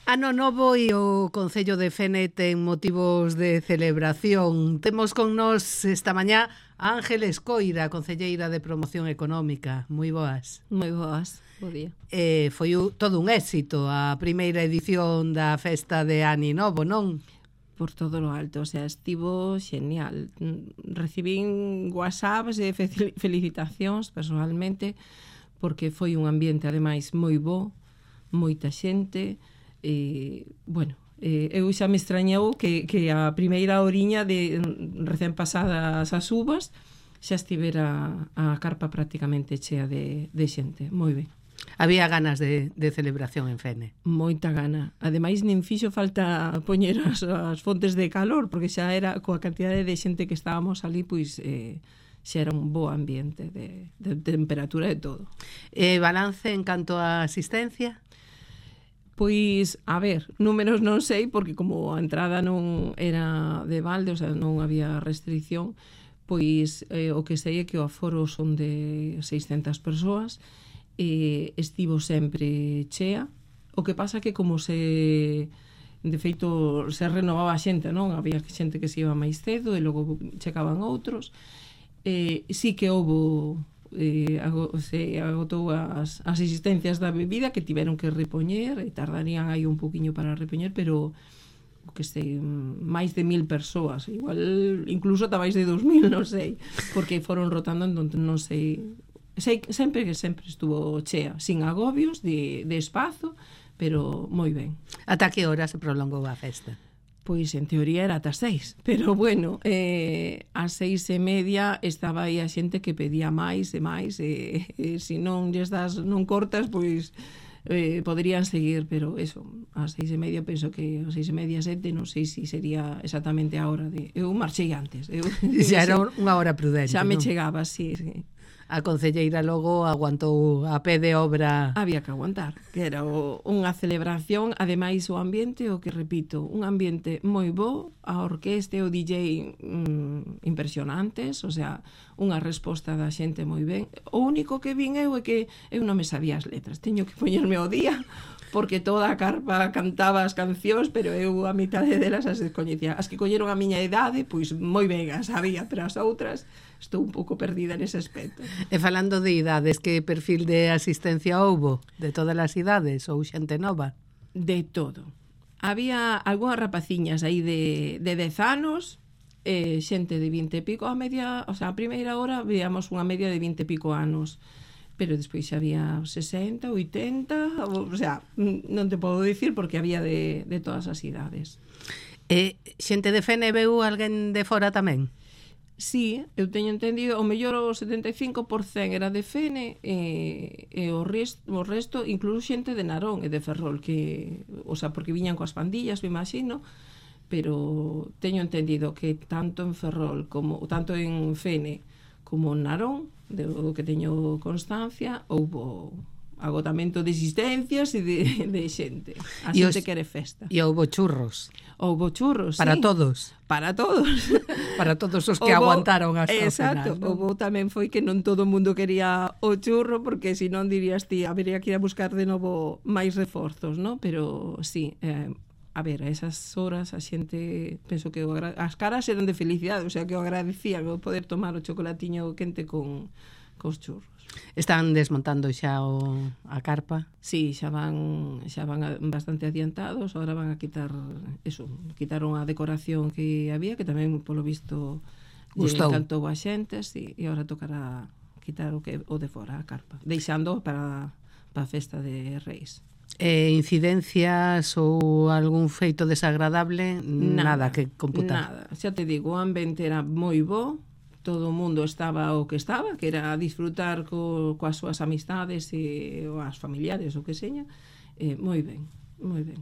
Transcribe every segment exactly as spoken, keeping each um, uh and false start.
Ano novo e o Concello de Fene ten motivos de celebración. Temos con nós esta mañá a Ángeles Coira, concelleira de Promoción Económica. Moi boas. Moi boas, bo día. Eh, foi u, todo un éxito a primeira edición da festa de Ani Novo, non? Por todo lo alto, o sea, estivo xenial. Recibín whatsapps e felicitacións personalmente porque foi un ambiente ademais moi bo, moita xente. E, bueno, eh, eu xa me extrañou que, que a primeira oriña de recén pasadas as uvas xa estivera a carpa prácticamente chea de, de xente, moi ben. Había ganas de, de celebración en Fene. Moita gana. Ademais, nin fixo falta poñer as, as fontes de calor, porque xa era, coa cantidade de xente que estábamos ali, pois eh, xa era un bo ambiente de, de temperatura e todo. E balance en canto a asistencia? Pois, a ver, números non sei, porque como a entrada non era de balde, o sea, non había restricción, pois eh, o que sei é que o aforo son de seiscentas persoas, e estivo sempre chea. O que pasa que como se... de feito, se renovaba a xente, non? Había xente que se iba máis cedo e logo checaban outros. Eh, sí que houbo... Eh, se agotou as, as existencias da bebida que tiveron que repoñer e tardarían aí un poquinho para repoñer, pero que sei, máis de mil persoas, igual incluso ata máis de dos mil, non sei, porque foron rotando, entón non sei, sei sempre que sempre estuvo chea, sin agobios de, de espazo, pero moi ben. Ata que hora se prolongou a festa? Pois en teoría era ata seis, pero bueno, eh, a seis e media estaba aí a xente que pedía máis e máis, e, e se non lles das, non cortas, pois eh, poderían seguir, pero eso, a seis e media penso que a seis e media, sete, non sei se sería exactamente a hora de... Eu marchei antes. Eu, xa era unha hora prudente, xa me non? chegaba, sí, sí. A concelleira logo aguantou a pé de obra. Había que aguantar, que era o, unha celebración, ademais o ambiente, o que repito, un ambiente moi bo, a orquesta e o D J mm, impresionantes, o sea, unha resposta da xente moi ben. O único que vin eu é que eu non me sabía as letras, teño que poñerme ao día, porque toda a carpa cantaba as cancións, pero eu a mitade delas as descoñecía. As que colleron a miña idade, pois moi ben as sabía, pero as outras estou un pouco perdida nese aspecto. E falando de idades, que perfil de asistencia houbo? De todas as idades ou xente nova? De todo. Había algunhas rapaciñas aí de, de dez anos, eh, xente de vinte e pico, a media, o sea, a primeira hora veíamos unha media de vinte e pico anos, pero despois había sesenta, oitenta, o sea, non te podo dicir porque había de, de todas as idades. E xente de Fene veu alguén de fora tamén? Sí, eu teño entendido, o mellor o setenta e cinco por cento era de Fene e, e o, resto, o resto, incluso xente de Narón e de Ferrol, que, o sea, porque viñan coas pandillas, me imagino, pero teño entendido que tanto en Ferrol como tanto en Fene como en Narón, de o que teño constancia, houbo agotamento de existencias e de, de xente. A xente os, quere festa. E houbo churros. Houbo churros, para sí. todos. Para todos. Para todos os que houbo, aguantaron hasta exacto, o final. Exacto. Houbo tamén foi que non todo o mundo quería o churro, porque se non dirías ti, habería que ir a buscar de novo máis reforzos, ¿no? Pero sí, eh, a ver, a esas horas a xente, penso que o agra... as caras eran de felicidade, o sea que o agradecían o poder tomar o chocolatiño quente con cos churros. Están desmontando xa o, a carpa? Sí, xa van xa van bastante adiantados, agora van a quitar eso, quitaron a decoración que había, que tamén polo visto gustou, encantou a xente, sí, e agora tocará quitar o que o de fora, a carpa, deixando para para a festa de Reis. Eh, incidencias ou algún feito desagradable? Nada, nada que computar. Nada, xa te digo, o ambiente era moi bo, todo o mundo estaba o que estaba, que era disfrutar co, coas súas amistades e ou as familiares, o que seña, eh, moi ben, moi ben.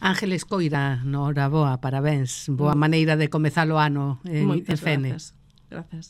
Ángeles Coira, noraboa, parabéns, boa maneira de comezar o ano en, en Fene. Grazas, grazas.